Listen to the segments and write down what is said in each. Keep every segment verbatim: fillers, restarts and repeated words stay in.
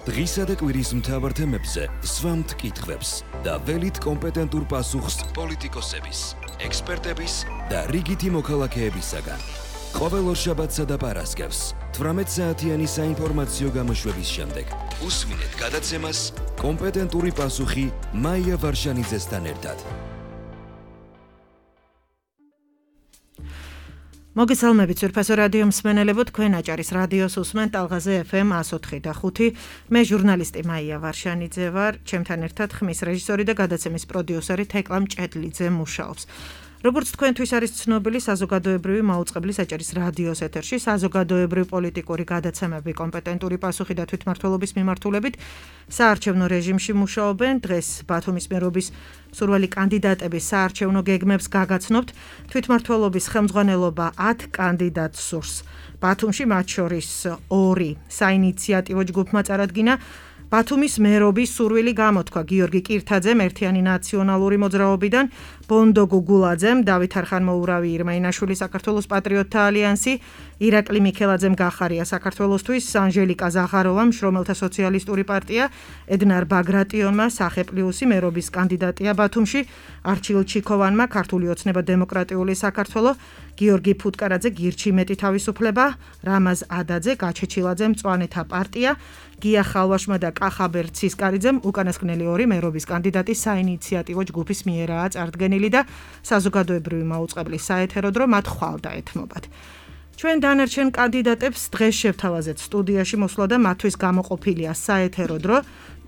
დღისა და კვირის მთავარ თემებზე სვამთ კითხვებს და ველით კომპეტენტურ პასუხს პოლიტიკოსების, ექსპერტების და რიგითი მოქალაქეებისაგან. ყოველ ორშაბათსა და პარასკევს თვრამეტ საათიანი საინფორმაციო გამოშვების შემდეგ უსმინეთ გადაცემას კომპეტენტური პასუხი მაია ვარშანიძესთან ერთად. მოგესალმებით ძვირფასო რადიო მსმენელებო, თქვენ აჭარის რადიოს უსმენთ ტალღაზე ეფ ემ one oh three და five. მე ჟურნალისტი მაია ვარშანიძე ვარ, ჩემთან ერთად ხმის რეჟისორი და გადაცემის პროდიუსერი თეკლა მჭედლიძე მუშაობს. როგორც თქვენთვის არის ცნობილი, საზოგადოებრივი მაუწყებლის აჭარის რადიოს ეთერში საზოგადოებრივი პოლიტიკური გადაცემები კომპეტენტური პასუხი და თვითმმართველობის მიმართულებით საარჩევნო რეჟიმში მუშაობენ. დღეს ბათუმის მერობის მსურველი კანდიდატების საარჩევნო გეგმებს გაგაცნობთ. თვითმმართველობის ხელმძღვანელობა ათ კანდიდატს სურს. ბათუმში მათ შორის ორი საინიციატივო ჯგუფმა წარადგინა. ბათუმის მერობის სურვილი გამოთქვა გიორგი კირთაძემ ერთიანი ნაციონალური მოძრაობიდან, ბონდო გუგულაძემ, დავით არხანმოურავი ირმაინაშვილი საქართველოს პატრიოტთა ალიანსი, ირაკლი მიქელაძემ გახარია საქართველოსთვის, ანჟელიკა ზაღაროვამ შრომელთა სოციალისტური პარტია, ედნარ ბაგრატიონმა სახე პლუსი მერობის კანდიდატია ბათუმში, არჩილ ჩიქოვანმა ქართული ოცნება დემოკრატიული საქართველო, გიორგი ფუტკარაძე გირჩი მეტი თავისუფლება, რამაზ ადაძე გაჩეჩილაძე მწვანეთა პარტია, გია ხალვაშმა და კახაბერ ცისკარიძემ უკანასკნელი ორი მერობის კანდიდატი საინიციატივო ჯგუფის მიერაა წარდგენილი და საზოგადოებრივი მაუწყებლის საეთერო დრო მათ ხვალ დაეთმობათ. ჩვენ დანარჩენ კანდიდატებს დღეს შევთავაზეთ სტუდიაში მოსვლა და მათთვის გამოყოფილია საეთერო დრო,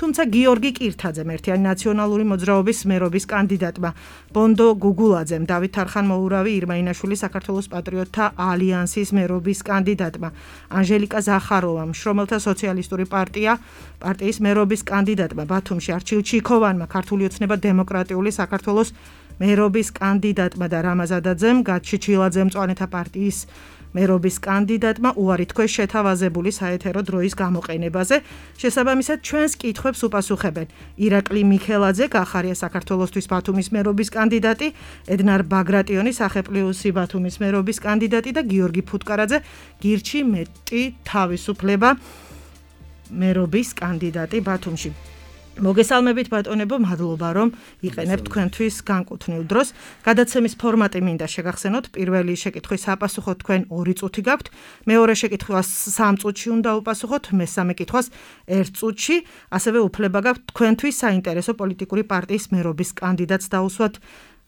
თუმცა გიორგი კირთაძემ ერთიანი ნაციონალური მოძრაობის მერობის კანდიდატმა, ბონდო გუგულაძემ, დავით არხანმოურავი ირმაინაშვილი საქართველოს პატრიოტთა ალიანსის მერობის კანდიდატმა, ანჟელიკა ზახაროვამ შრომელთა სოციალისტური პარტია პარტიის მერობის კანდიდატმა, ბათუმში არჩილ ჩიქოვანმა ქართული ოცნება დემოკრატიული საქართველოს მერობის კანდიდატმა და რამაზ ადაძემ გაჩეჩილაძემ მწვანეთა პარტიის მერობის კანდიდატმა უარი თქვეს შეთავაზებული საეთერო დროის გამოყენებაზე. შესაბამისად, ჩვენს კითხვებს უპასუხებენ ირაკლი მიქელაძე, გახარია საქართველოსთვის ბათუმის მერობის კანდიდატი, ედნარ ბაგრატიონი, სახე პლუსი ბათუმის მერობის კანდიდატი და გიორგი ფუტკარაძე, გირჩი მეტი თავისუფლება მერობის კანდიდატი ბათუმში. მოგესალმებით ბატონებო, მადლობა რომ იყენებთ თქვენთვის განკუთვნილ დროს. გადაცემის ფორმატი მინდა შეგახსენოთ. პირველი შეკითხვის აპასუხოთ თქვენ ორი წუთი გაქვთ, მეორე შეკითხვას სამ წუთში უნდა უპასუხოთ, მესამე კითხვას ერთ წუთში, ასევე უფლება გაქვთ თქვენთვის საინტერესო პოლიტიკური პარტიის მერობის კანდიდატს დაუსვათ.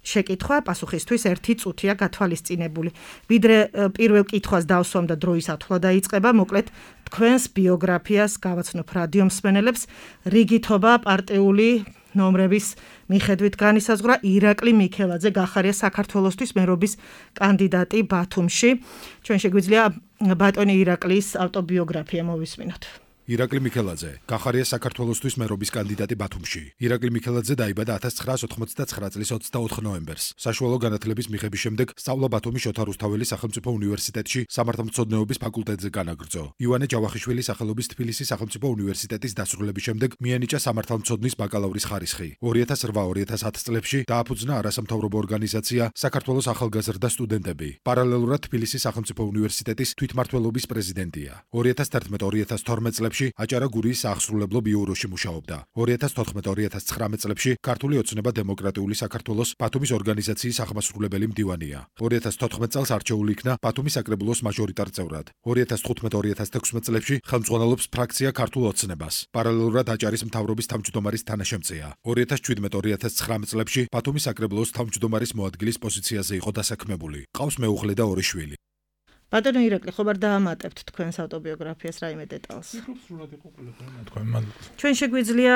შეკითხვა პასუხისთვის ერთი წუთია გათვალისწინებული. ვიდრე პირველ კითხვას დავსვამ და დროის ათვლა დაიწყება, მოკლედ თქვენს ბიოგრაფიას გავაცნობ რადიო მსმენელებს. რიგითობა პარტიული ნომრების მიხედვით განისაზღვრა ირაკლი მიქელაძე, გახარია საქართველოსთვის მერობის კანდიდატი ბათუმში. ჩვენ შეგვიძლია ბატონი ირაკლის ავტობიოგრაფია მოვისმინოთ. ირაკლი მიქელაძე, გახარია საქართველოსთვის მერობის კანდიდატი ბათუმში. ირაკლი მიქელაძე დაიბადა ათას ცხრაას ოთხმოცდაცხრა წლის ოცდაოთხ ნოემბერს. საშუალო განათლების მიღების შემდეგ სწავლა ბათუმის შოთა რუსთაველის სახელმწიფო უნივერსიტეტში სამართალმცოდნეობის ფაკულტეტზე განაგრძო. ივანე ჯავახიშვილის სახელობის თბილისის სახელმწიფო უნივერსიტეტის დასრულების შემდეგ მიენიჭა სამართალმცოდნის ბაკალავრის ხარისხი. ორი ათას რვა ორი ათას ათ წლებში დააფუძნა არასამთავრობო ორგანიზაცია საქართველოს ახალგაზრდა სტუდენტები. პარალელურად თბილისის სახელმწიფო უნივერსიტეტის თვითმმართველობის პრეზიდენტია. ორი ათას თერთმეტ ორი ათას თორმეტ წლებში აჭარა გურიის საახსრულებლო ბიუროში მუშაობდა. ორი ათას თოთხმეტ ორი ათას ცხრამეტ წლებში ქართული ოცნება დემოკრატიული საქართველოს ბათუმის ორგანიზაციის აღმასრულებელი მდივანია. ორი ათას თოთხმეტ წელს არჩეული იქნა ბათუმის საკრებულოს მაჟორიტარ წევრად. ორი ათას თხუთმეტ ორი ათას თექვსმეტ წლებში ხელმძღვანელობს ფრაქცია ქართულ ოცნებას. პარალელურად აჭარის მთავრობის თავმჯდომარის თანაშემწეა. ორი ათას შვიდმეტ ორი ათას ცხრამეტ წლებში ბათუმის საკრებულოს თავმჯდომარის მოადგილის პოზიციაზე იყო დასაქმებული. ყავს მეუღლე და ორი შვილი. ბატონო ირაკლი, ხომ არ დაამატებთ თქვენს ავტობიოგრაფიას რაიმე დეტალს? ჩვენ შეგვიძლია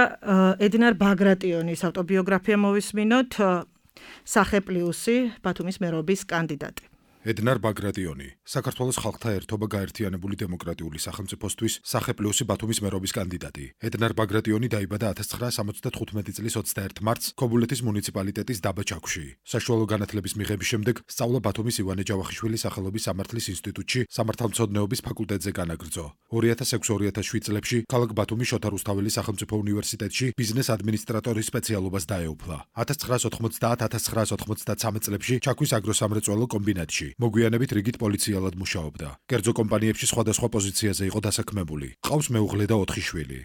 ედნარ ბაგრატიონის ავტობიოგრაფია მოვისმინოთ, სახე პლუსი ბათუმის მერობის კანდიდატი. ედნარ ბაგრატიონი, საქართველოს ხალხთა ერთობა გაერთიანებული დემოკრატიული სახელმწიფოსთვის სახე პლუსი ბათუმის მერობის კანდიდატი. ედნარ ბაგრატიონი დაიბადა ათას ცხრაას ოცდათხუთმეტი წლის ოცდაერთ მარტს ქობულეთის მუნიციპალიტეტის დაბა ჩაქვში. საშუალო განათლების მიღების შემდეგ სწავლა ბათუმის ივანე ჯავახიშვილის სახელობის სამართლის ინსტიტუტში სამართალმცოდნეობის ფაკულტეტზე განაგრძო. ორი ათას ექვსი ორი ათას შვიდ წლებში ქალაქ ბათუმის შოთა რუსთაველის სახელმწიფო უნივერსიტეტში ბიზნეს ადმინისტრატორის სპეციალობას დაეუფლა. ათას ცხრაას ოთხმოცდაათ ათას ცხრაას ოთხმოცდაცამეტ წლებში ჩაქვის აგროსამრეწველო კომბინატში. მოგვიანებით რიგით პოლიციელად მუშაობდა. კერძო კომპანიებში სხვადასხვა პოზიციაზე იყო დასაქმებული. ყავს მეუღლე და ოთხი შვილი.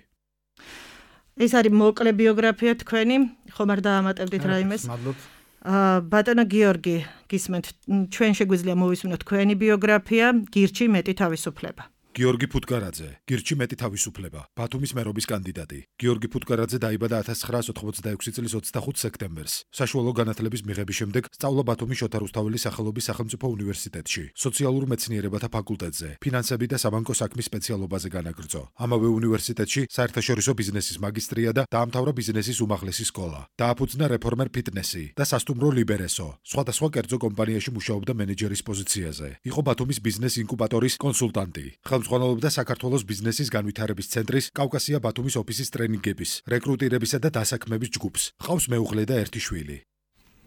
ეს არის მოკლე ბიოგრაფია თქვენი, ხომ არ დაამატებდით რაიმეს? მადლობთ. ბატონო გიორგი, გისმენთ, ჩვენ შეგვიძლია მოვისმინოთ თქვენი ბიოგრაფია, გირჩი მეტი თავისუფლება. გიორგი ფუტკარაძე, გირჩი მეტი თავისუფლება, ბათუმის მერობის კანდიდატი. გიორგი ფუტკარაძე დაიბადა ათას ცხრაასი ოცდაექვსი წლის ოცდახუთ სექტემბერს. საშუალო განათლების მიღების შემდეგ სწავლა ბათუმის შოთა რუსთაველის სახელობის სახელმწიფო უნივერსიტეტში, სოციალურ მეცნიერებათა ფაკულტეტზე, ფინანსები და საბანკო საქმის სპეციალობაზე განაგრძო. ამავე უნივერსიტეტში საერთაშორისო ბიზნესის მაგისტრია და დაამთავრა ბიზნესის უმაღლესი სკოლა. დააფუძნა რეფორმერ ფიტნესი და სასტუმრო ლიბერესო. სხვადასხვა კერძო კომპანიაში მუშაობდა მენეჯერის პოზიციაზე. იყო ბათუმის ბიზნეს ინკუბატორის კონსულტანტი. ხელმძღვანელობდა საქართველოს ბიზნესის განვითარების ცენტრის კავკასია ბათუმის ოფისის ტრენინგების, რეკრუტირებისა და დასაქმების ჯგუფს. ჰყავს მეუღლე და ერთი შვილი.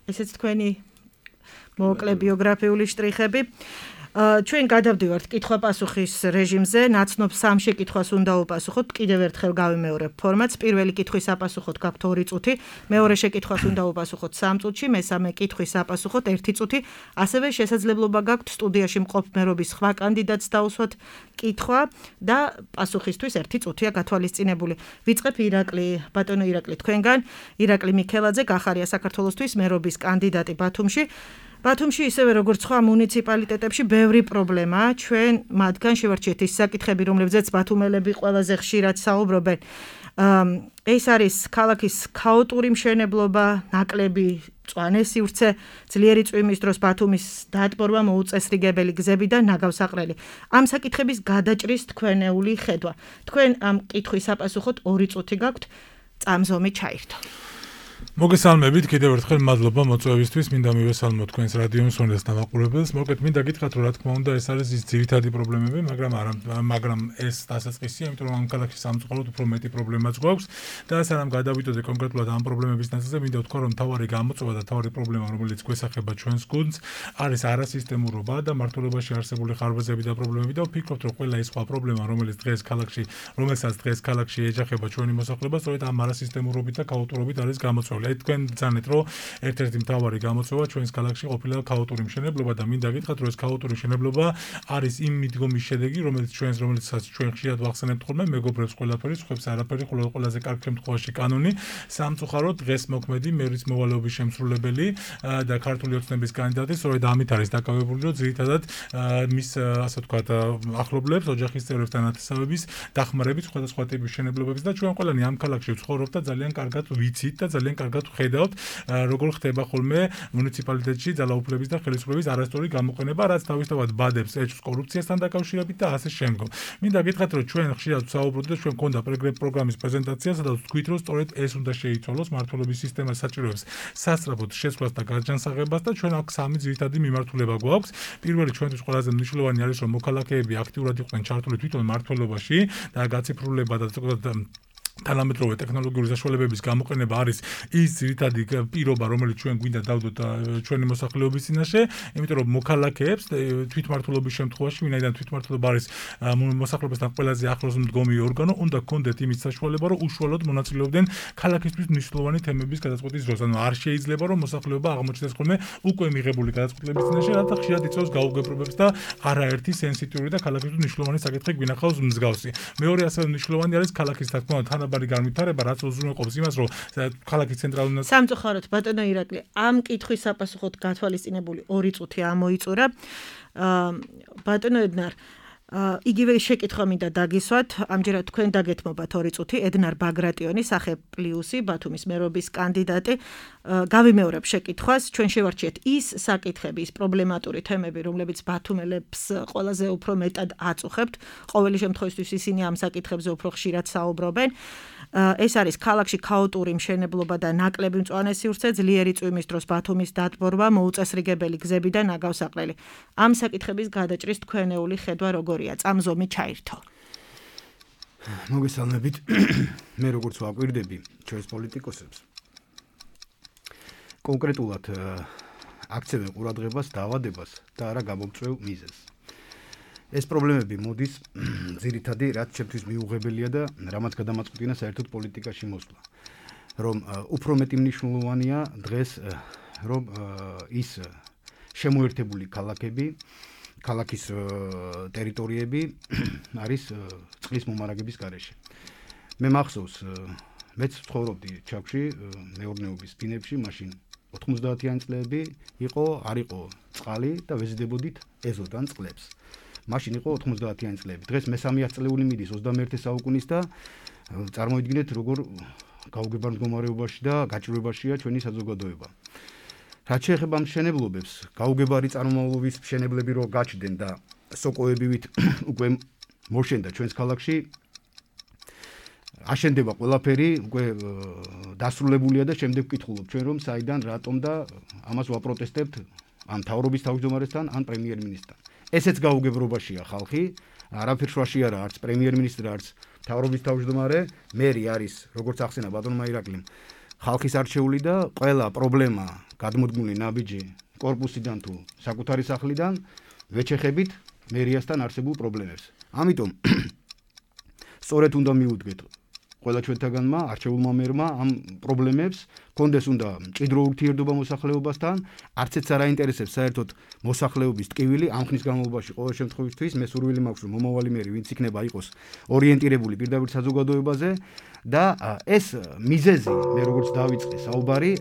ესეც თქვენი მოკლე ბიოგრაფიული შტრიხები. ჩვენ გადავდივართ კითხვა-პასუხის რეჟიმზე, ნაცნობ სამ შეკითხვას უნდა უპასუხოთ, კიდევ ერთხელ გავიმეორებ ფორმატს. პირველი კითხვის აპასუხოთ გაქვთ ორი წუთი, მეორე შეკითხვას უნდა უპასუხოთ სამ წუთში, მესამე კითხვის აპასუხოთ ერთი წუთი. ასევე შესაძლებლობა გაქვთ სტუდიაში მყოფ მერობის სხვა კანდიდატს დაუსვათ კითხვა და პასუხისთვის ერთი წუთია გათვალისწინებული. ვიწყებ ირაკლი, ბატონო ირაკლი თქვენგან, ირაკლი მიქელაძე, გახარია საქართველოსთვის მერობის კანდიდატი ბათუმში. ბათუმში ისევე როგორც სხვა მუნიციპალიტეტებში ბევრი პრობლემაა. ჩვენ მათგან შევარჩიეთ ის საკითხები, რომლებზეც ბათუმელები ყველაზე ხშირად საუბრობენ. ეს არის ქალაქის ქაოტური მშენებლობა, ნაკლები მწვანე სივრცე, ძლიერი წვიმის დროს ბათუმის დატბორვა, მოუწესრიგებელი გზები და ნაგავსაყრელი. ამ საკითხების გადაჭრის თქვენეული ხედვა. თქვენ ამ კითხვის აპასუხოთ ორი წუთი გაქვთ, წამზომი ჩაირთო. მოგესალმებით, კიდევ ერთხელ მადლობა მოწვევისთვის, მინდა მივესალმო თქვენს რადიო მსმენელს და მაყურებელს. მოკეთ მინდა გითხრათ, რომ რა თქმა უნდა, ეს არის ის ძირითადი პრობლემები, მაგრამ არა, მაგრამ ეს დასაწყისია, იმიტომ რომ ამ ქალაქში სამწუხაროდ უფრო მეტი პრობლემაც გვაქვს და სანამ გადავიდოდე კონკრეტულად ამ პრობლემების ნაწილზე, მინდა ვთქვა, რომ თავარი გამოწვევა და თავარი პრობლემა, რომელიც გვესახება ჩვენს გუნდს, არის არასისტემურობა და მართლობაში არსებული ხარბაზები და პრობლემები და ვფიქრობთ, რომ ყველა ის სხვა პრობლემა, რომელიც დღეს ქალაქში, რომელსაც დღეს ქალაქში ეჯახება ჩვენი მოსახლეობა, სწორედ ამ არასისტემურობით და ქაოტურობით არის გამოწვეული. თქვენ ძანეთ, რომ ერთ-ერთი მთავარი გამოწვევა ჩვენს ქალაქში ყოფილა ქაოტური მშენებლობა და მინდა გითხრათ, რომ ეს ქაოტური მშენებლობა არის იმ მიდგომის შედეგი, რომელიც ჩვენს რომელიცაც ჩვენ ხშირად ვახსენებთ ხოლმე, მეგობრებს ყველაფერი, სხვებს არაფერი, ხოლო ყველაზე კარგ შემთხვევაში კანონი, სამწუხაროდ დღეს მოქმედი მერის მოვალეობის შემსრულებელი და ქართული ოცნების კანდიდატი, სწორედ ამით არის დაკავებული, რომ ძირითადად მის ასე ვთქვათ, ახლობლებს, ოჯახის წევრებს და ნათესავების დახმარებით სხვადასხვა ტიპის მშენებლობებს და ჩვენ ყველანი ამ ქალაქში ვცხოვრობთ და ძალიან კარგად ვიცით და ძალიან კარგად ხედავთ, როგორ ხდება ხოლმე მუნიციპალიტეტში ძალაუფლების და ხელისუფლების არასწორი გამოყენება, რაც თავისთავად ბადებს ეჭვს კორუფციასთან დაკავშირებით და ასე შემდგომ. მინდა გითხრათ, რომ ჩვენ ხშირად ვსაუბრობთ და ჩვენ მქონდა პროგრამის პრეზენტაცია, სადაც ვთქვით, რომ სწორედ ეს უნდა შეიცვალოს, მართლობის სისტემა საჭიროებს სასწრაფოდ შეცვლას და გარჯანსაღებას და ჩვენ აქ სამი ძირითადი მიმართულება გვაქვს. პირველი ჩვენთვის ყველაზე მნიშვნელოვანი არის, რომ მოქალაქეები აქტიურად იყვნენ ჩართული თვითონ მართლობაში და გაციფრულება და თანამედროვე ტექნოლოგიური საშუალებების გამოყენება არის ის ძირითადი პირობა, რომელიც ჩვენ გვინდა დავდოთ ჩვენი მოსახლეობის წინაშე, იმიტომ რომ მოქალაქეებს თვითმმართველობის შემთხვევაში, ვინაიდან თვითმმართველობა არის მოსახლეობასთან ყველაზე ახლოს მდგომი ორგანო, უნდა გქონდეთ იმის საშუალება, რომ უშუალოდ მონაწილეობდნენ ქალაქისთვის მნიშვნელოვანი თემების გადაწყვეტის დროს. ანუ არ შეიძლება, რომ მოსახლეობა აღმოჩნდეს ხოლმე უკვე მიღებული გადაწყვეტილების წინაშე, რათა ხშირად იწვევს გაუგებრობებს და არაერთი სენსიტიური და ქალაქისთვის მნიშვნელოვანი საკითხი გვინახავს მსგავსი. მეორე ასევე მნიშვნელოვანი არის ქალაქის თქმა უნდა ბარი განვითარება, რაც უზრუნველყოფს იმას, რომ ქალაქის ცენტრალური სამწუხაროდ ბატონო ირაკლი, ამ კითხვის საპასუხოდ გათვალისწინებული ორი წუთი ამოიწურა. ბატონო ედნარ, იგივე შეკითხვა მინდა დაგისვათ, ამჯერად თქვენ დაგეთმობათ ორი წუთი, ედნარ ბაგრატიონი, სახე პლუსი, ბათუმის მერობის კანდიდატი. გავიმეორებ შეკითხვას, ჩვენ შევარჩიეთ ის საკითხები, ის პრობლემატური თემები, რომლებიც ბათუმელებს ყველაზე უფრო მეტად აწუხებთ. ყოველი შემთხვევისთვის ისინი ამ საკითხებზე უფრო ხშირად საუბრობენ. ეს არის ქალაქში ქაოტური მშენებლობა და ნაკლები მწვანე სივრცე, ძლიერი წვიმის დროს ბათუმის დატბორვა, მოუწესრიგებელი გზები და ნაგავსაყრელი. ამ საკითხების გადაჭრის თქვენეული ხედვა როგორია? წამზომი ჩაირთო. მოგესალმებით. მე როგორც ვაკვირდები ჩვენს პოლიტიკოსებს, კონკრეტულად აქცევენ ყურადღებას დაავადებას და არა გამომწვევ მიზეზს. ეს პრობლემები მოდის ძირითადი, რაც ჩემთვის მიუღებელია და რამაც გადამაწყვეტინა საერთოდ პოლიტიკაში მოსვლა. რომ უფრო მეტი მნიშვნელოვანია დღეს, რომ ის შემოერთებული ქალაქები, ქალაქის ტერიტორიები არის წყლის მომარაგების გარეშე. მე მახსოვს მეც ცხოვრობდი ჩაქვში მეურნეობის ბინებში, მაშინ ოთხმოცდაათიანი წლები იყო, არ იყო წყალი და ვეზიდებოდით ეზოდან წყლებს. მაშინ იყო ოთხმოცდაათიანი წლები. დღეს მესამე ათწლეული მიდის ოცდამეერთე საუკუნის და წარმოიდგინეთ როგორ გაუგებარ მდგომარეობაში და გაჭირვებაშია ჩვენი საზოგადოება. რაც შეეხება მშენებლობებს, გაუგებარი წარმომავლობის მშენებლები რო გაჩნდნენ და სოკოებივით უკვე მოშენდა ჩვენს ქალაქში, აშენდება ყველაფერი, უკვე დასრულებულია და შემდეგ ვკითხულობ ჩვენ რომ საიდან, რატომ და ამას ვაპროტესტებთ ან მთავრობის თავმჯდომარესთან, ან პრემიერ-მინისტრთან. ესეც გაუგებრობაშია ხალხი, არაფერ შუაში არა, არც პრემიერ-მინისტრი, არც მთავრობის თავმჯდომარე, მერი არის, როგორც ახსენა ბატონმა ირაკლიმ, ხალხის არჩეული და ყველა პრობლემა გადმოდგმული ნაბიჯი კორპუსიდან თუ საკუთარი სახლიდან ვეჩეხებით მერიასთან არსებულ პრობლემებს. ამიტომ სწორედ უნდა მიუდგეთ ყველა ჩვენთაგანმა, არჩეულმა მერმა ამ პრობლემებს, კონდეს უნდა მჭიდრო ურთიერთობა მოსახლეობასთან, არც ეც არ აინტერესებს საერთოდ მოსახლეობის ტკივილი ამ ხნის განმავლობაში ყოველ შემთხვევაში მე სურვილი მაქვს რომ მომავალი მერი ვინც იქნება იყოს ორიენტირებული პირდაპირ საზოგადოებაზე და ეს მიზეზი მე როგორც დავიწყე საუბარი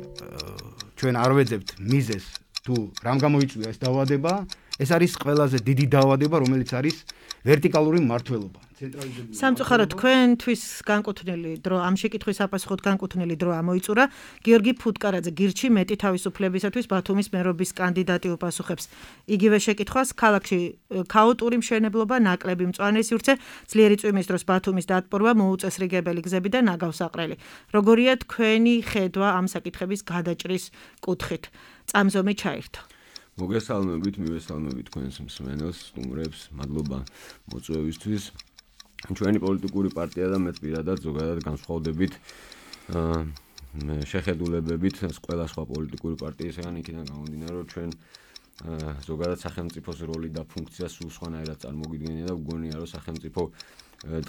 ჩვენ არ ვეძებთ მიზეზს თუ რამ გამოიწვია ეს დაავადება, ეს არის ყველაზე დიდი დაავადება, რომელიც არის ვერტიკალური მმართველობა. სამწუხაროდ თქვენთვის განკუთვნილი დრო ამ შეკითხვის აპასუხოდ განკუთვნილი დრო ამოიწურა. გიორგი ფუტკარაძე გირჩი მეტი თავისუფლებისათვის ბათუმის მერობის კანდიდატი უპასუხებს იგივე შეკითხვას. ქალაქში ქაოტური მშენებლობა, ნაკლები მწვანე სივრცე, ძლიერი წვიმის დროს ბათუმის დატბორვა, მოუწესრიგებელი გზები და ნაგავსაყრელი. როგორია თქვენი ხედვა ამ საკითხების გადაჭრის კუთხით? წამზომი ჩაირთო. მოგესალმებით, მივესალმებით თქვენს მსმენელს, სტუმრებს, მადლობა მოწვევისთვის. ჩვენი პოლიტიკური პარტია და მეც პირადად ზოგადად განსხვავდებით შეხედულებებით ყველა სხვა პოლიტიკური პარტიისგან, იქიდან გამომდინარე, რომ ჩვენ ზოგადად სახელმწიფოს როლი და ფუნქცია სულ სხვანაირად წარმოგიდგენია და ვგონია, რომ სახელმწიფო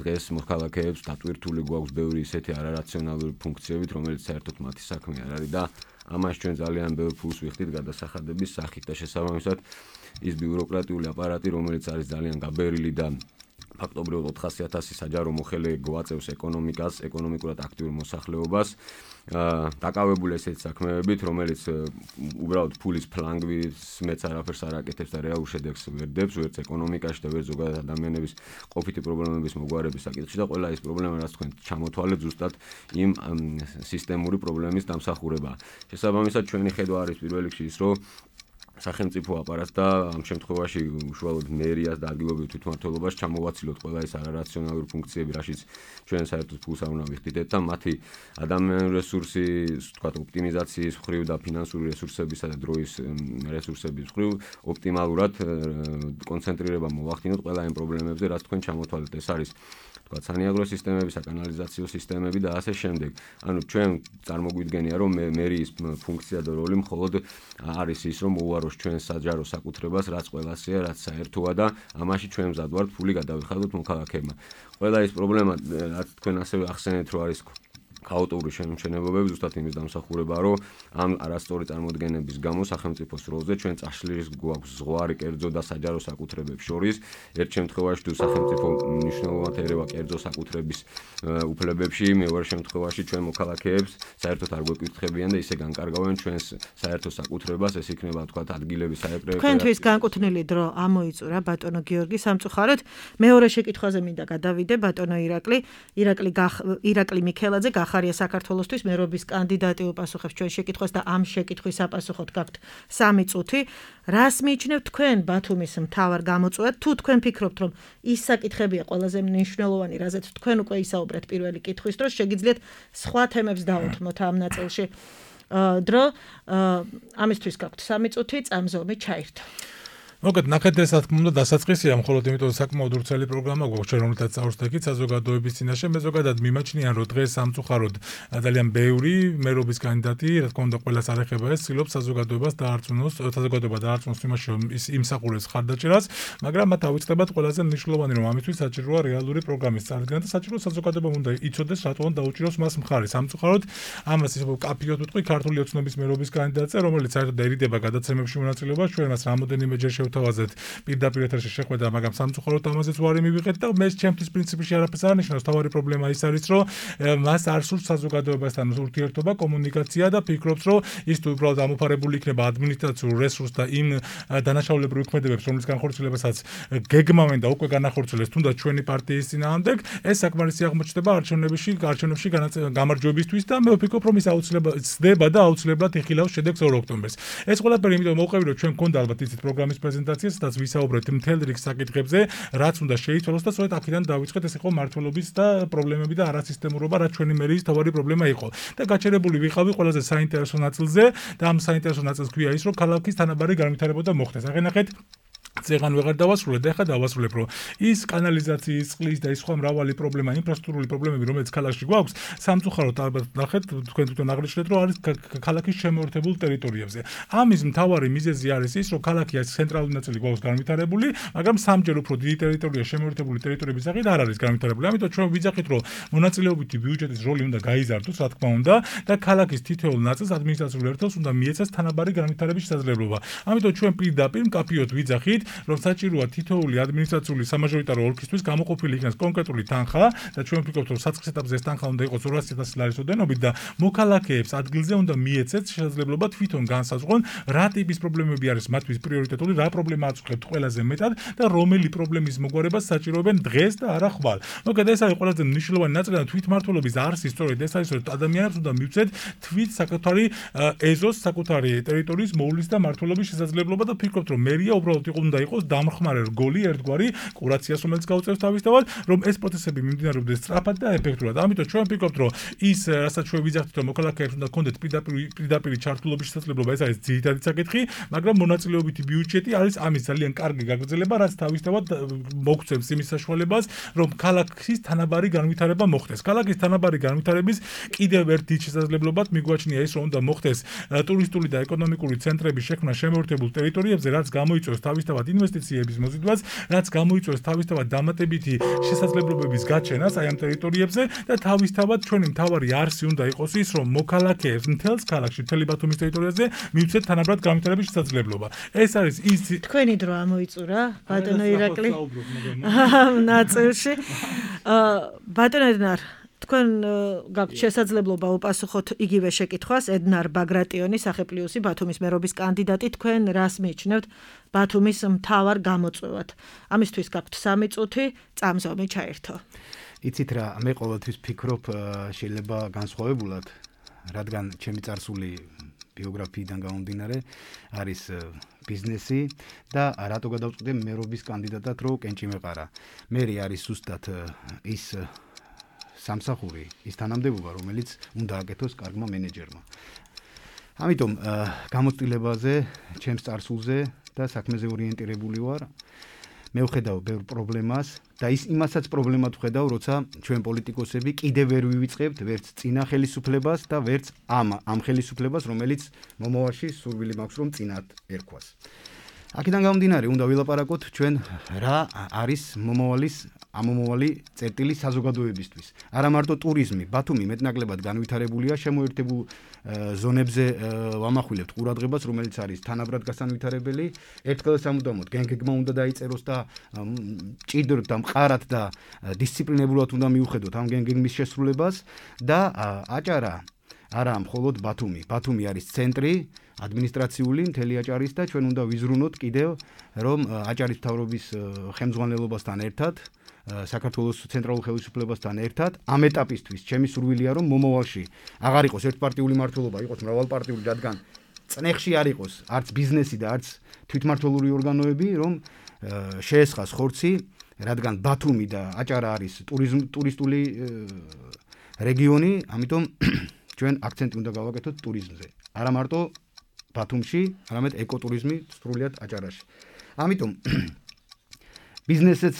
დღეს მოქალაქეებს დატვირთული გვაქვს ბევრი ისეთი არარაციონალური ფუნქციებით, რომელიც საერთოდ მათი საქმე არ არის და ამას ჩვენ ძალიან ბევრ ფულს ვიხდით გადასახადების სახით და შესაბამისად ის ბიუროკრატიული აპარატი, რომელიც არის ძალიან გაბერილი და ფაქტობრივად ოთხასი ათასი საჯარო მოხელე გვაწევს ეკონომიკას, ეკონომიკურად აქტიურ მოსახლეობას, დაკავებული ესეთ საქმეებით, რომელიც უბრალოდ ფულის ფლანგვის მეც არაფერს არ აკეთებს და რეალურ შედეგს ვერ დებს, ვერც ეკონომიკაში და ვერც ზოგადად ადამიანების ყოფითი პრობლემების მოგვარების საკითხში და ყველა ეს პრობლემა, რაც თქვენ ჩამოთვალეთ, ზუსტად იმ სისტემური პრობლემის დამსახურებაა. შესაბამისად, ჩვენი ხედვა არის პირველ რიგში ის, რომ სახელმწიფო აპარატს და ამ შემთხვევაში უშუალოდ მერიას და ადგილობრივ თვითმმართველობას ჩამოვაცილოთ ყველა ეს არარაციონალური ფუნქციები, რაშიც ჩვენ საერთოდ ფულს არ უნდა ვიხდით და მათი ადამიანური რესურსის, თქვათ, ოპტიმიზაციის მხრივ და ფინანსური რესურსებისა და დროის რესურსების მხრივ ოპტიმალურად კონცენტრირება მოვახდინოთ ყველა იმ პრობლემებზე, რაც თქვენ ჩამოთვალეთ. ეს არის თქვათ სანიაგრო სისტემები, საკანალიზაციო სისტემები და ასე შემდეგ. ანუ ჩვენ წარმოგვიდგენია, რომ მერის ფუნქცია და როლი მხოლოდ არის ის, რომ მოუაროს ჩვენ საჯარო საკუთრებას, რაც ყველასია, რაც საერთოა და ამაში ჩვენ მზად ვართ ფული გადავიხადოთ მოქალაქეებმა. ყველა ეს პრობლემა, რაც თქვენ ასევე ახსენეთ, რომ არის ქაოტური შემჩნევებები, ზუსტად იმის დამსახურებაა, რომ ამ არასწორი წარმოდგენების გამო სახელმწიფოს როლზე ჩვენ წაშლის გვაქვს ზღვარი კერძო და საჯარო საკუთრებებს შორის. ერთ შემთხვევაში თუ სახელმწიფო მნიშვნელოვნად ერევა კერძო საკუთრების უფლებებში, მეორე შემთხვევაში ჩვენ მოქალაქეებს საერთოდ არ გვეკითხებიან და ისე განკარგავენ ჩვენს საერთო საკუთრებას, ეს იქნება თქვათ ადგილების საეპრე. თქვენთვის განკუთვნილი დრო ამოიწურა ბატონო გიორგი. სამწუხაროდ მეორე შეკითხვაზე მინდა გადავიდე ბატონო ირაკლი, ირაკლი ირაკლი მიქელაძე ახარია საქართველოსთვის მერობის კანდიდატი უპასუხებს ჩვენ შეკითხვას და ამ შეკითხვის აპასუხოდ გაქვთ სამი წუთი. რას მიიჩნევთ თქვენ ბათუმის მთავარ გამოწვევად? თუ თქვენ ფიქრობთ, რომ ის საკითხებია ყველაზე მნიშვნელოვანი, რაზეც თქვენ უკვე ისაუბრეთ პირველი კითხვის დროს, შეგიძლიათ სხვა თემებს დაუთმოთ ამ ნაწილში. დრო ამისთვის გაქვთ სამი წუთი, წამზომი ჩაირთო. მოგეთ ნახეთ ეს რა თქმა უნდა დასაწყისია, მხოლოდ იმიტომ რომ საკმაოდ ურცელი პროგრამა გვაქვს ჩვენ რომელთაც წავსდებით საზოგადოების წინაშე. მე ზოგადად მიმაჩნიან რომ დღეს სამწუხაროდ ძალიან ბევრი მერობის კანდიდატი, რა თქმა უნდა ყველას არ ეხება ეს, ცდილობს საზოგადოებას დაარწმუნოს, საზოგადოება დაარწმუნოს იმაში რომ ის იმსახურებს ხარდაჭერას, მაგრამ მათ ავიწყდებათ ყველაზე მნიშვნელოვანი რომ ამისთვის საჭიროა რეალური პროგრამის წარდგენა და საჭირო საზოგადოებამ უნდა იცოდეს რატომ დაუჭიროს მას მხარი. სამწუხაროდ ამას ისე კაფიოდ ვიტყვი ქართული ოცნების მერობის კანდიდატზე, რომელიც საერთოდ ერიდება გადაცემებში მონაწილეობას, ჩვენ მას რამოდენიმეჯერ თავაზეთ პირდაპირ ეთერში შეხვედრა, მაგრამ სამწუხაროდ ამაზეც ვარი მივიღეთ და მე ჩემთვის პრინციპში არაფერს არ ნიშნავს. თავარი პრობლემა ის არის, რომ მას არ სურს საზოგადოებასთან ურთიერთობა, კომუნიკაცია და ფიქრობს, რომ ის თუ უბრალოდ ამოფარებული იქნება ადმინისტრაციულ რესურსს და იმ დანაშაულებრივ ქმედებებს, რომლის განხორციელებასაც გეგმავენ და უკვე განახორციელეს თუნდაც ჩვენი პარტიის წინააღმდეგ, ეს საკმარისი აღმოჩნდება არჩევნებში, არჩევნებში გამარჯვებისთვის და მე ვფიქრობ, რომ ის აუცილებლად ცდება და აუცილებლად იხილავს შედეგს ორ ოქტომბერს. ეს ყველაფერი იმიტომ მოვყევი, რომ ჩვენ მქონდა ალბათ იცით პროგრამის პრეზენტაცია, სადაც ვისაუბრეთ მთელ რიგ საკითხებზე, რაც უნდა შეიცვალოს და სწორედ აქედან დავიწყეთ, ეს იყო მართლობის და პრობლემები და არასისტემურობა, რაც ჩვენი მერიის თავარი პრობლემა იყო. და გაჩერებული ვიყავი ყველაზე საინტერესო ნაწილზე და ამ საინტერესო ნაწილს ქვია ის, რომ ქალაქის თანაბარი განვითარება მოხდეს. აღენახეთ ზეგან ვეღარ დავასრულებ, ეხლა დავასრულებ, რომ ის კანალიზაციის, წყლის და ის სხვა მრავალი პრობლემა, ინფრასტრუქტურული პრობლემები, რომელიც ქალაქში გვაქვს, სამწუხაროდ ალბათ ნახეთ, თქვენ თვითონ აღნიშნეთ, რომ არის ქალაქის შემოერთებულ ტერიტორიებზე. ამის მთავარი მიზეზი არის ის, რომ ქალაქი არის ცენტრალური ნაწილი გვაქვს განვითარებული, მაგრამ სამჯერ უფრო დიდი ტერიტორია შემოერთებული ტერიტორიების სახით არ არის განვითარებული. ამიტომ ჩვენ ვიძახით, რომ მონაწილეობითი ბიუჯეტის როლი უნდა გაიზარდოს, რა თქმა უნდა, და ქალაქის თითოეულ ნაწილს ადმინისტრაციულ ერთეულს უნდა მიეცეს თანაბარი განვითარების შესაძლებლობა. ამიტომ ჩვენ პირდაპირ მკაფიოდ ვიძახით, რომ საჭიროა თითოეული ადმინისტრაციული სამაჟორიტარო ოლქისთვის გამოყოფილი იქნას კონკრეტული თანხა და ჩვენ ვფიქრობთ, რომ საწყის ეტაპზე ეს თანხა უნდა იყოს ორასი ათასი ლარის ოდენობით და მოქალაქეებს ადგილზე უნდა მიეცეთ შესაძლებლობა თვითონ განსაზღვრონ, რა ტიპის პრობლემები არის მათთვის პრიორიტეტული, რა პრობლემა აწუხებთ ყველაზე მეტად და რომელი პრობლემის მოგვარებას საჭიროებენ დღეს და არა ხვალ. მოკლედ ეს არის ყველაზე მნიშვნელოვანი ნაწილი და თვითმმართველობის არსი სწორედ ეს არის, რომ ადამიანებს უნდა მივცეთ თვით საკუთარი ეზოს, საკუთარი ტერიტორიის მოვლის და მმართველობის შესაძლებლობა და ვფიქრობთ, რომ მერია უბრალოდ იყო უნდა იყოს დამხმარე რგოლი ერთგვარი კურაციას, რომელიც გაუწევს თავისთავად, რომ ეს პროცესები მიმდინარეობდეს სწრაფად და ეფექტურად. ამიტომ ჩვენ ვფიქრობთ, რომ ის, რასაც ჩვენ ვიძახით, რომ მოქალაქეებს უნდა კონდეთ პირდაპირ პირდაპირ ჩართულობის შესაძლებლობა, ეს არის ძირითადი საკითხი, მაგრამ მონაწილეობითი ბიუჯეტი არის ამის ძალიან კარგი გაგრძელება, რაც თავისთავად მოგცემს იმის საშუალებას, რომ ქალაქის თანაბარი განვითარება მოხდეს. ქალაქის თანაბარი განვითარების კიდევ ერთ დიდ შესაძლებლობად მიგვაჩნია ის, რომ უნდა მოხდეს ტურისტული და ეკონომიკური ცენტრების შექმნა შემოერთებულ ტერიტორიებზე, რაც გამოიწვევს თავისთავად ინვესტიციების მოზიდვას, რაც გამოიწვევს თავისთავად დამატებითი შესაძლებლობების გაჩენას აი ამ ტერიტორიებზე და თავისთავად ჩვენი მთავარი არსი უნდა იყოს ის, რომ მოქალაქეებს მთელს ქალაქში, მთელი ბათუმის ტერიტორიაზე მივცეთ თანაბრად განვითარების შესაძლებლობა. ეს არის ის თქვენი დრო ამოიწურა, ბატონო ირაკლი. ნაწილში. ბატონო ედნარ, თქვენ გაქვთ შესაძლებლობა უპასუხოთ იგივე შეკითხვას. ედნარ ბაგრატიონი, სახე პლუსი, ბათუმის მერობის კანდიდატი, თქვენ რას მიიჩნევთ ბათუმის მთავარ გამოწვევად? ამისთვის გაქვთ სამი წუთი, წამზომი ჩაერთო. იცით რა, მე ყოველთვის ვფიქრობ, შეიძლება განსხვავებულად, რადგან ჩემი წარსული ბიოგრაფიიდან გამომდინარე არის ბიზნესი და რატო გადავწყვიტე მერობის კანდიდატად, რომ კენჭი მეყარა. მერი არის ზუსტად ის სამსახური, ის თანამდებობა, რომელიც უნდა აკეთოს კარგმა მენეჯერმა. ამიტომ გამოცდილებაზე, ჩემს წარსულზე და საქმეზე ორიენტირებული ვარ. მე ვხედავ ბევრ პრობლემას და ის იმასაც პრობლემად ვხედავ, როცა ჩვენ პოლიტიკოსები კიდევ ვერ ვივიწყებთ ვერც წინა ხელისუფლებას და ვერც ამ ამ ხელისუფლებას, რომელიც მომავალში სურვილი მაქვს, რომ წინათ ერქვას. აქედან გამომდინარე, უნდა ვილაპარაკოთ ჩვენ რა არის მომავალის ამომავალი წერტილი საზოგადოებისთვის. არა მარტო ტურიზმი, ბათუმი მეტნაკლებად განვითარებულია, შემოერთებულ ზონებზე ვამახვილებთ ყურადღებას, რომელიც არის თანაბრად გასანვითარებელი. ერთხელ სამუდამოდ გენგეგმა უნდა დაიწეროს და ჭიდროდ და მყარად და დისციპლინებულად უნდა მიუხედოთ ამ გენგეგმის შესრულებას და აჭარა არა მხოლოდ ბათუმი. ბათუმი არის ცენტრი ადმინისტრაციული მთელი აჭარის და ჩვენ უნდა ვიზრუნოთ კიდევ, რომ აჭარის მთავრობის ხელმძღვანელობასთან ერთად საქართველოს ცენტრალურ ხელისუფლებასთან ერთად ამ ეტაპისთვის ჩემი სურვილია, რომ მომავალში აღარ იყოს ერთპარტიული მმართველობა, იყოს მრავალპარტიული, რადგან წნეხში არ იყოს არც ბიზნესი და არც თვითმმართველური ორგანოები, რომ შეესხას ხორცი, რადგან ბათუმი და აჭარა არის ტურისტული რეგიონი, ამიტომ ჩვენ აქცენტი უნდა გავაკეთოთ ტურიზმზე. არა მარტო ბათუმში, არამედ ეკოტურიზმი სრულიად აჭარაში. ამიტომ ბიზნესიც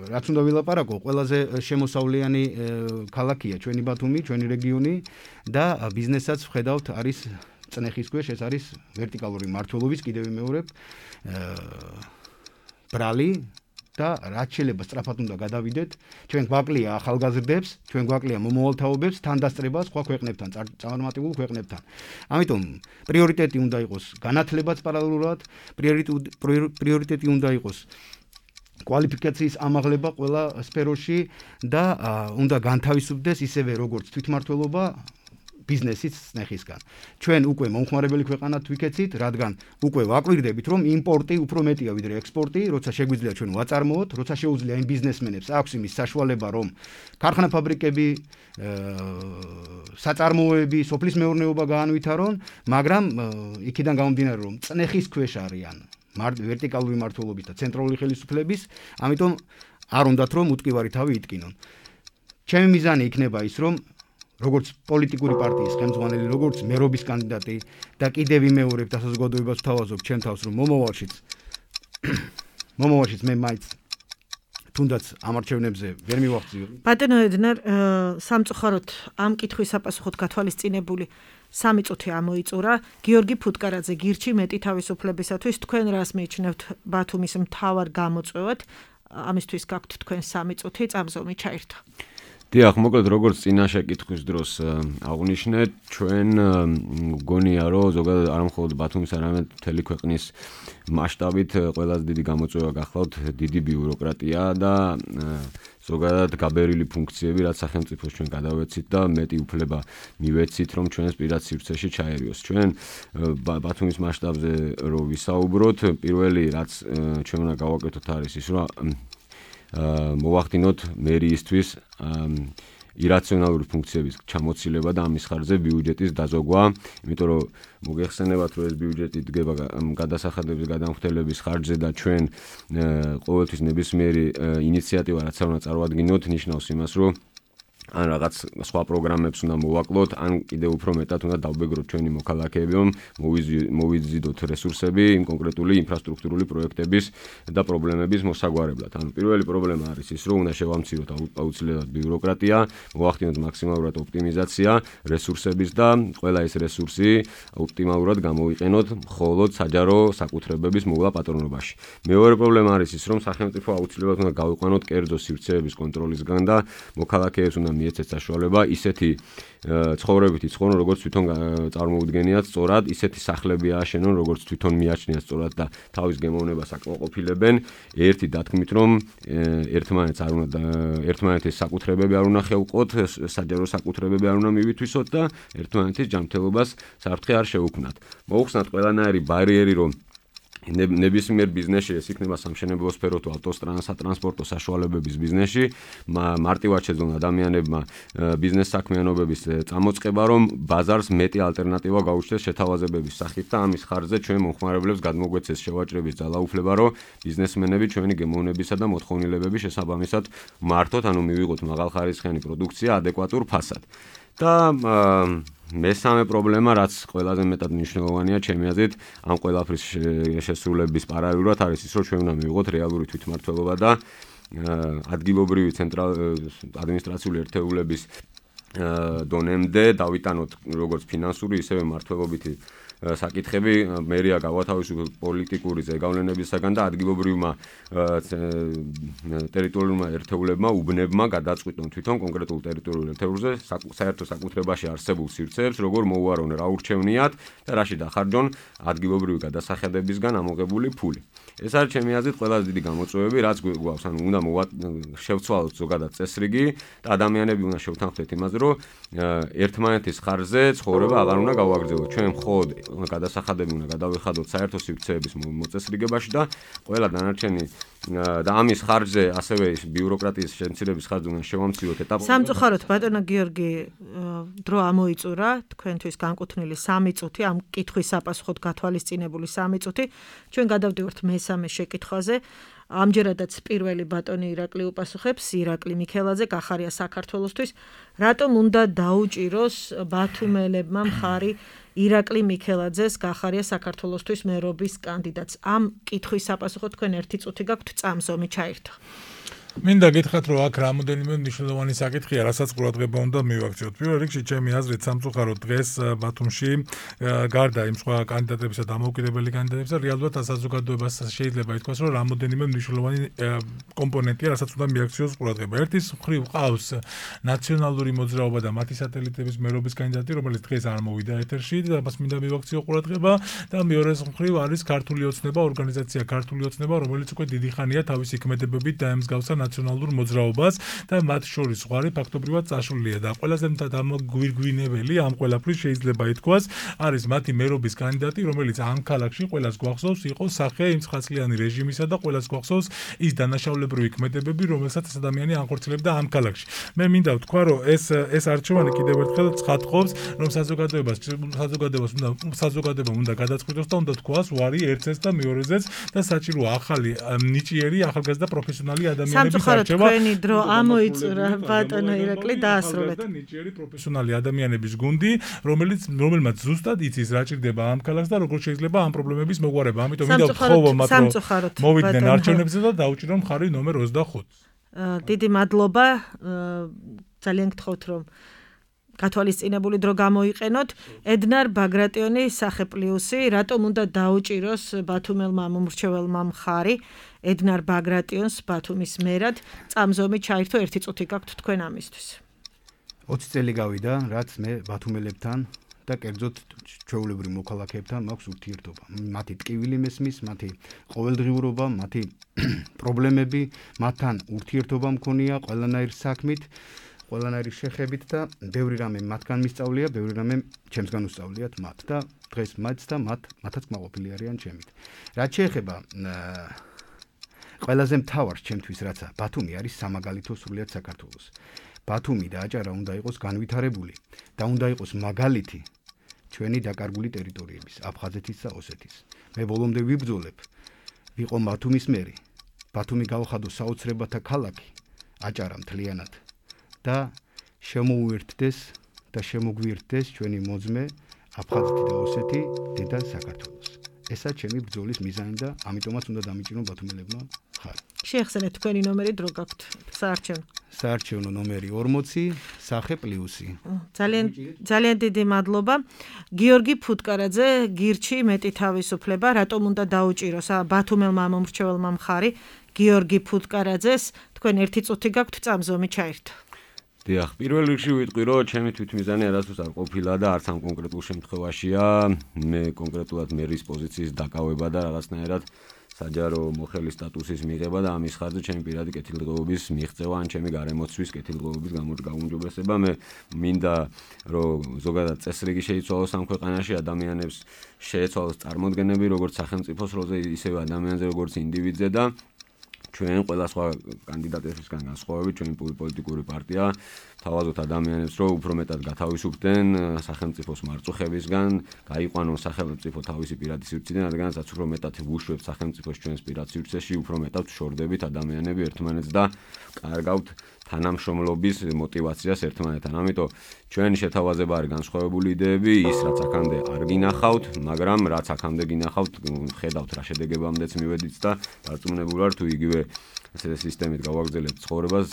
რაც უნდა ვილაპარაკო, ყველაზე შემოსავლიანი ქალაქია ჩვენი ბათუმი, ჩვენი რეგიონი და ბიზნესაც ვხედავთ არის წნეხის ქვეშ, ეს არის ვერტიკალური მმართველობის, კიდევ ვიმეორებ, ბრალი და რაც შეიძლება სწრაფად უნდა გადავიდეთ. ჩვენ გვაკლია ახალგაზრდებს, ჩვენ გვაკლია მომავალთაობებს, თანდასწრება სხვა ქვეყნებთან, წარმატებულ ქვეყნებთან. ამიტომ პრიორიტეტი უნდა იყოს განათლებაც პარალელურად, პრიორიტეტი უნდა იყოს კვალიფიკაციის ამაღლება ყველა სფეროში და უნდა განთავისუფლდეს ისევე როგორც თვითმმართველობა ბიზნესის წნეხისგან. ჩვენ უკვე მომხმარებელი ქვეყანად ვიქეცით, რადგან უკვე ვაკვირდებით, რომ იმპორტი უფრო მეტია ვიდრე ექსპორტი, როცა შეგვიძლია ჩვენ ვაწარმოოთ, როცა შეუძლია იმ ბიზნესმენებს აქვს იმის საშუალება, რომ ქარხანა ფაბრიკები, საწარმოები, სოფლის მეურნეობა გაანვითარონ, მაგრამ იქიდან გამომდინარე, რომ წნეხის ქვეშ არიან ვერტიკალური მმართველობის და ცენტრალური ხელისუფლების, ამიტომ არ უნდათ რომ უტკივარი თავი იტკინონ. ჩემი მიზანი იქნება ის, რომ როგორც პოლიტიკური პარტიის ხელმძღვანელი, როგორც მერობის კანდიდატი და კიდევ ვიმეორებ და საზოგადოებას ვთავაზობ ჩემ თავს, რომ მომავალშიც მომავალშიც მე მაინც თუნდაც ამ არჩევნებზე ვერ მივახციო. ბატონო ედნარ, სამწუხაროდ ამ კითხვის საპასუხოდ გათვალისწინებული სამი წუთი ამოიწურა. გიორგი ფუტკარაძე, გირჩი მეტი თავისუფლებისათვის, თქვენ რას მიიჩნევთ ბათუმის მთავარ გამოწვევად? ამისთვის გაქვთ თქვენ სამი წუთი, წამზომი ჩაირთო. დიახ, მოკლედ როგორც წინა შეკითხვის დროს აღნიშნეთ, ჩვენ გონია რომ ზოგადად არ მხოლოდ ბათუმის, არამედ მთელი ქვეყნის მასშტაბით ყველაზე დიდი გამოწვევა გახლავთ დიდი ბიუროკრატია და ზოგადად გაბერილი ფუნქციები, რაც სახელმწიფოს ჩვენ გადავეცით და მეტი უფლება მივეცით, რომ ჩვენს პირად სივრცეში ჩაერიოს. ჩვენ ბათუმის მასშტაბზე რო ვისაუბროთ, პირველი რაც ჩვენ უნდა გავაკეთოთ არის ის, რომ მოვახდინოთ მერიისთვის ირაციონალური ფუნქციების ჩამოცილება და ამის ხარჯზე ბიუჯეტის დაზოგვა, იმიტომ რომ მოგეხსენებათ, რომ ეს ბიუჯეტი დგება გადასახადების გადამხდელების ხარჯზე და ჩვენ ყოველთვის ნებისმიერი ინიციატივა, რაც არ უნდა წარვადგინოთ, ნიშნავს იმას, რომ ან რაღაც სხვა პროგრამებს უნდა მოვაკლოთ, ან კიდევ უფრო მეტად უნდა დავბეგროთ ჩვენი მოქალაქეები, რომ მოვიზიდოთ რესურსები იმ კონკრეტული ინფრასტრუქტურული პროექტების და პრობლემების მოსაგვარებლად. ანუ პირველი პრობლემა არის ის, რომ უნდა შევამციროთ აუცილებლად ბიუროკრატია, მოვახდინოთ მაქსიმალურად ოპტიმიზაცია რესურსების და ყველა ეს რესურსი ოპტიმალურად გამოვიყენოთ მხოლოდ საჯარო საკუთრებების მოვლა პატრონობაში. მეორე პრობლემა არის ის, რომ სახელმწიფო აუცილებლად უნდა გავიყვანოთ კერძო სივრცეების კონტროლისგან და მოქალაქეებს უნდა მიეცეთ საშუალება ისეთი ცხოვრებითი ცხოვრონ, როგორც თვითონ წარმოუდგენიათ სწორად, ისეთი სახლები ააშენონ, როგორც თვითონ მიაჩნიათ სწორად და თავის გემოვნებას აკმაყოფილებენ. ერთი დათქმით, რომ ერთმანეთს არ უნდა ერთმანეთის საკუთრებები არ უნდა ხევყოთ, საჯარო საკუთრებები არ უნდა მივითვისოთ და ერთმანეთის ჯანმრთელობას საფრთხე არ შეუქმნათ. მოუხსნათ ყველანაირი ბარიერი, რომ ნებისმიერ ბიზნესში ეს იქნება სამშენებლო სფერო თუ ავტოტრანსპორტო საშუალებების ბიზნესში, მარტივად შეძლონ ადამიანებმა ბიზნეს საქმიანობების წამოწყება, რომ ბაზარს მეტი ალტერნატივა გაუჩნდეს შეთავაზებების სახით და ამის ხარჯზე ჩვენ მომხმარებლებს გადმოგვეცეს შევაჭრების ძალაუფლება, რომ ბიზნესმენები ჩვენი გემოვნებისა და მოთხოვნილებების შესაბამისად მართოთ, ანუ მივიღოთ მაღალხარისხიანი პროდუქცია ადეკვატურ ფასად. და მესამე პრობლემა, რაც ყველაზე მეტად მნიშვნელოვანია ჩემი აზრით, ამ ყველაფრის შესრულების პარალელურად არის ის, რომ ჩვენ უნდა მივიღოთ რეალური თვითმმართველობა და ადგილობრივი ადმინისტრაციული ერთეულების დონემდე დავიტანოთ როგორც ფინანსური, ისევე მმართველობითი საკითხები, მერია გავათავისუფლოთ პოლიტიკური ზეგავლენებისაგან და ადგილობრივმა ტერიტორიულმა ერთეულებმა, უბნებმა გადაწყვიტონ თვითონ კონკრეტულ ტერიტორიულ ერთეულზე საერთო საკუთრებაში არსებულ სივრცეებს, როგორ მოუარონ, რა ურჩევნიათ და რაში დახარჯონ ადგილობრივი გადასახადებისგან ამოღებული ფული. ეს არის ჩემი აზრით ყველაზე დიდი გამოწვევები, რაც გვაქვს, ანუ უნდა შევცვალოთ ზოგადად წესრიგი და ადამიანები უნდა შევთანხმდეთ იმაზე, რომ ერთმანეთის ხარჯზე ცხოვრება აღარ უნდა გავაგრძელოთ. ჩვენ მხოლოდ გადასახადები უნდა გადავეხადოთ საერთო სივრცეების მოწესრიგებაში და ყველა დანარჩენი და ამის ხარჯზე ასევე ბიუროკრატიის შემცირების ხარჯზე უნდა შევამციროთ ეტაპობრივად. სამწუხაროდ ბატონო გიორგი, დრო ამოიწურა, თქვენთვის განკუთვნილი სამი წუთი, ამ კითხვის საპასუხოდ გათვალისწინებული სამი წუთი. ჩვენ გადავდივართ მესამე შეკითხვაზე. ამჯერადაც პირველი ბატონი ირაკლი უპასუხებს, ირაკლი მიქელაძე, გახარია საქართველოსთვის. რატომ უნდა დაუჭიროს ბათუმელებმა მხარი ირაკლი მიქელაძეს, გახარია საქართველოსთვის მერობის კანდიდატს? ამ კითხვის საპასუხოდ თქვენ ერთი წუთი გაქვთ, წამზომი ჩაირთო. მინდა გითხრათ, რომ აქ რამოდენიმე მნიშვნელოვანი საკითხია, რასაც ყურადღება უნდა მივაქციოთ. პირველ რიგში, ჩემი აზრით, სამწუხაროდ დღეს ბათუმში გარდა იმ სხვა კანდიდატებისა და დამოუკიდებელი კანდიდატებისა, რეალურად საზოგადოებას შეიძლება ითქვას, რომ რამოდენიმე მნიშვნელოვანი კომპონენტია, რასაც უნდა მიაქციოს ყურადღება. ერთის მხრივ ყავს ნაციონალური მოძრაობა და მათი სატელიტების მერობის კანდიდატი, რომელიც დღეს არ მოვიდა ეთერში და მას მინდა მივაქციო ყურადღება და მეორეს მხრივ არის ქართული ოცნება, ორგანიზაცია ქართული ოცნება, რომელიც უკვე დიდი ხანია თავისი ქმედებებით დაემსგავსა ნაციონალურ მოძრაობას და მათ შორის ზღვარი ფაქტობრივად წაშლილია და ყველაზე დამგვირგვინებელი ამ ყველაფრის შეიძლება ითქვას არის მათი მერობის კანდიდატი, რომელიც ამ ქალაქში ყველას გვახსოვს იყო სახე იმ ცხრაწლიანი რეჟიმისა და ყველას გვახსოვს ის დანაშაულებრივი ქმედებები, რომელსაც ეს ადამიანი ანხორციელებდა ამ ქალაქში. მე მინდა ვთქვა, რომ ეს ეს არჩევანი კიდევ ერთხელ ცხადყოფს, რომ საზოგადოებას საზოგადოებას უნდა საზოგადოებამ უნდა გადაწყვიტოს და უნდა თქვას ვარი ერთზეც და მეორეზეც და საჭიროა ახალი ნიჭიერი, ახალგაზრდა პროფესიონალი ადამიანების არჩევა. თქვენი დრო ამოიწურა ბატონო ირაკლი დაასრულეთ. და ნიჭიერი პროფესიონალი ადამიანების გუნდი, რომელიც რომელმაც ზუსტად იცის რა ჭირდება ამ ქალაქს და როგორ შეიძლება ამ პრობლემების მოგვარება. ამიტომ მინდა ვთხოვო მათ რომ მოვიდნენ არჩევნებზე და დაუჭირონ მხარი ნომერ ოცდახუთს. დიდი მადლობა. ძალიან გთხოვთ რომ გათვალისწინებული დრო გამოიყენოთ. ედნარ ბაგრატიონი, სახე პლუსი, რატომ უნდა დაუჭიროს ბათუმელმა მომრჩეველმა მხარი ედნარ ბაგრატიონს ბათუმის მერად? წამზომი ჩაირთო, ერთი წუთი გაქვთ თქვენ ამისთვის. ოცი წელი გავიდა, რაც მე ბათუმელებთან და კერძოდ ჩვეულებრივ მოქალაქეებთან მაქვს ურთიერთობა. მათი ტკივილი მესმის, მათი ყოველდღიურობა, მათი პრობლემები, მათთან ურთიერთობა მქონია ყველანაირ საქმით, ყველანაირი შეხებით და ბევრი რამე მათგან მისწავლია, ბევრი რამე ჩემსგან უსწავლიათ მათ და დღეს მათ და მათ მათაც კმაყოფილი არიან ჩემით. რაც შეეხება ყველაზე მთავარს ჩემთვის, რაცა ბათუმი არის სამაგალითო სრულიად საქართველოს. ბათუმი და აჭარა უნდა იყოს განვითარებული და უნდა იყოს მაგალითი ჩვენი დაკარგული ტერიტორიების, აფხაზეთის და ოსეთის. მე ბოლომდე ვიბრძოლებ, ვიყო ბათუმის მერი. ბათუმი გავხადო საოცრებათა ქალაქი, აჭარა მთლიანად და შემოუერთდეს და შემოგვიერთდეს ჩვენი მოძმე აფხაზეთი და ოსეთი დედა საქართველოს. ესა ჩემი ბრძოლის მიზანი და ამიტომაც უნდა დამიჭირონ ბათუმელებმა ხარ. შეეხსენეთ თქვენი ნომერი დრო გაქვთ საარჩევნო. საარჩევნო ნომერი ორმოცი, სახე პლუსი. ძალიან ძალიან დიდი მადლობა. გიორგი ფუტკარაძე, გირჩი მეტი თავისუფლება, რატომ უნდა დაუჭიროს ბათუმელმა მომრჩეველმა მხარი გიორგი ფუტკარაძეს? თქვენ ერთი წუთი გაქვთ, წამზომი ჩაირთო. დიახ, პირველ რიგში ვიტყვი, რომ ჩემი თვითმიზანი არასდროს არ ყოფილა და არც ამ კონკრეტულ შემთხვევაშია მე კონკრეტულად მერის პოზიციის დაკავება და რაღაცნაირად საჯარო მოხელის სტატუსის მიღება და ამის ხარჯზე ჩემი პირადი კეთილდღეობის მიღწევა ან ჩემი გარემოცვის კეთილდღეობის გამოუმჯობესება. მე მინდა რომ ზოგადად წესრიგი შეიცვალოს ამ ქვეყანაში, ადამიანებს შეეცვალოს წარმოდგენები როგორც სახელმწიფოს როლზე, ისევე ადამიანზე როგორც ინდივიდზე და ჩვენ ყველა სხვა კანდიდატებისგან განსხვავებით ჩვენი პოლიტიკური პარტია თავაზობთ ადამიანებს, რომ უფრო მეტად გათავისუფლდნენ სახელმწიფოს მარწუხებისგან, გაიყვანონ სახელმწიფო თავისი პირადი სივრციდან, რადგანაც უფრო მეტად ვუშვებთ სახელმწიფოს ჩვენს პირად სივრცეში, უფრო მეტად შორდებით ადამიანები ერთმანეთს და კარგავთ თანამშრომლობის мотиваციას ერთმანეთთან. ამიტომ ჩვენი შეთავაზება არის განსხვავებული იდეები, ის რაც აქამდე არ გინახავთ, მაგრამ რაც აქამდე გინახავთ, ხედავთ რა შედეგებამდეც მივედით და დარწმუნებული ვარ თუ იგივე ესე სისტემით გავაგრძელებთ ცხოვრებას,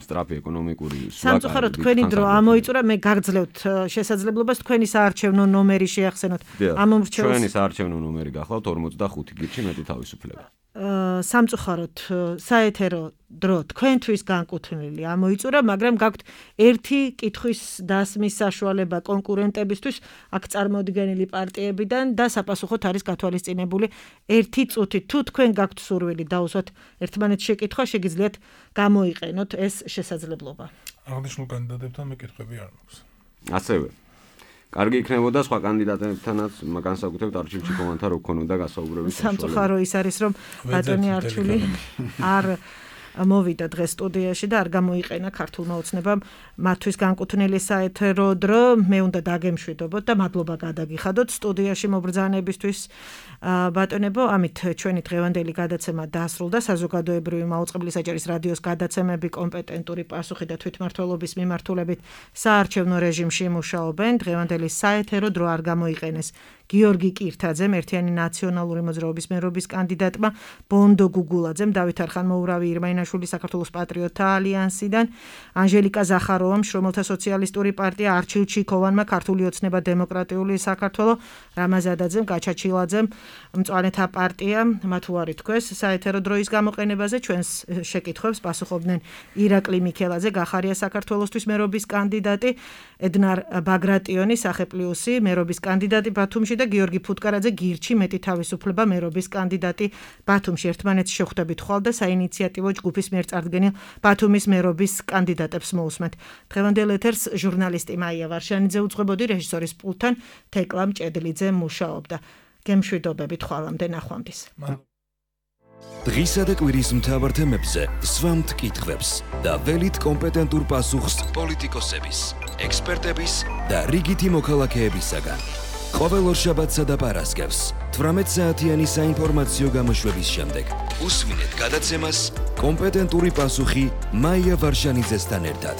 სწრაფი ეკონომიკური სამწუხაროდ თქვენი დრო ამოიწურა, მე გაგძლევთ შესაძლებლობას თქვენი საარჩევნო ნომერი შეახსენოთ. ამ მომრჩეველს ჩვენი საარჩევნო ნომერი გახლავთ ორმოცდახუთი, გირჩი მეტი თავისუფლება. სამწუხაროდ საეთერო დრო თქვენთვის განკუთვნილი ამოიწურა, მაგრამ გაქვთ ერთი კითხვის დასმის საშუალება კონკურენტებისთვის, აქ წარმოდგენილი პარტიებიდან და საპასუხოდ არის გათვალისწინებული ერთი წუთი. თუ თქვენ გაქვთ სურვილი დაუსვათ ერთმანეთს შეკითხვა, შეგიძლიათ გამოიყენოთ ეს შესაძლებლობა. აღნიშნულ კანდიდატებთან მე კითხვები არ მაქვს. ასევე კარგი იქნებოდა სხვა კანდიდატებთანაც განსაკუთრებით არჩილში კომანდა რო ქონოდა გასაუბრების საშუალება. სამწუხარო ის არის, რომ ბატონი არჩული არ მოვიდა დღეს სტუდიაში და არ გამოიყენა ქართულმა ოცნებამ მათთვის განკუთვნილი საეთერო დრო. მე უნდა დაგემშვიდობოთ და მადლობა გადაგიხადოთ სტუდიაში მობრძანებისთვის. ბატონებო, ამით ჩვენი დღევანდელი გადაცემა დასრულდა. საზოგადოებრივი მაუწყებლი საჯარის რადიოს გადაცემები კომპეტენტური პასუხი და თვითმმართველობის მიმართულებით საარჩევნო რეჟიმში მუშაობენ. დღევანდელი საეთერო დრო არ გამოიყენეს გიორგი კირთაძემ, ერთიანი ნაციონალური მოძრაობის მერობის კანდიდატმა, ბონდო გუგულაძემ, დავით არხანმოურავი ირმაინაშვილი საქართველოს პატრიოტთა ალიანსიდან, ანჟელიკა ზახაროვამ, შრომელთა სოციალისტური პარტია, არჩილ ჩიქოვანმა, ქართული ოცნება დემოკრატიული საქართველო, რამაზადაძემ, გაჩაჩილაძემ, მწვანეთა პარტია, მათ უარი თქვეს საეთერო დროის გამოყენებაზე, ჩვენს შეკითხვებს პასუხობდნენ ირაკლი მიქელაძე, გახარია საქართველოსთვის მერობის კანდიდატი, ედნარ ბაგრატიონი, სახეპლიუსი, მერობის კანდიდატი ბათუმში და გიორგი ფუტკარაძე, გირჩი, მეტი თავისუფლება, მერობის კანდიდატი ბათუმში. ერთმანეთს შეხვდებით ხვალ და საინიციატივო ჯგუფის მიერ წარდგენილ ბათუმის მერობის კანდიდატებს მოусმენთ. დღევანდელ ეთერს ჟურნალისტი მაია ვარშანიძე უძღვებოდი, რეჟისორის პულტთან თეკლა მჭედლიძე მუშაობდა. გემშვიდობებით ხვალამდე ნახვამდის. დღისა და კვირის მთავარ თემებზე სვამთ კითხვებს და ველით კომპეტენტურ პასუხს პოლიტიკოსების, ექსპერტების და რიგითი მოქალაქეებისაგან. ყოველ ორშაბათსა და პარასკევს თვრამეტ საათიანი საინფორმაციო გამოშვების შემდეგ უსვინეთ გადაცემას კომპეტენტური პასუხი მაია ვარშანიძესთან ერთად.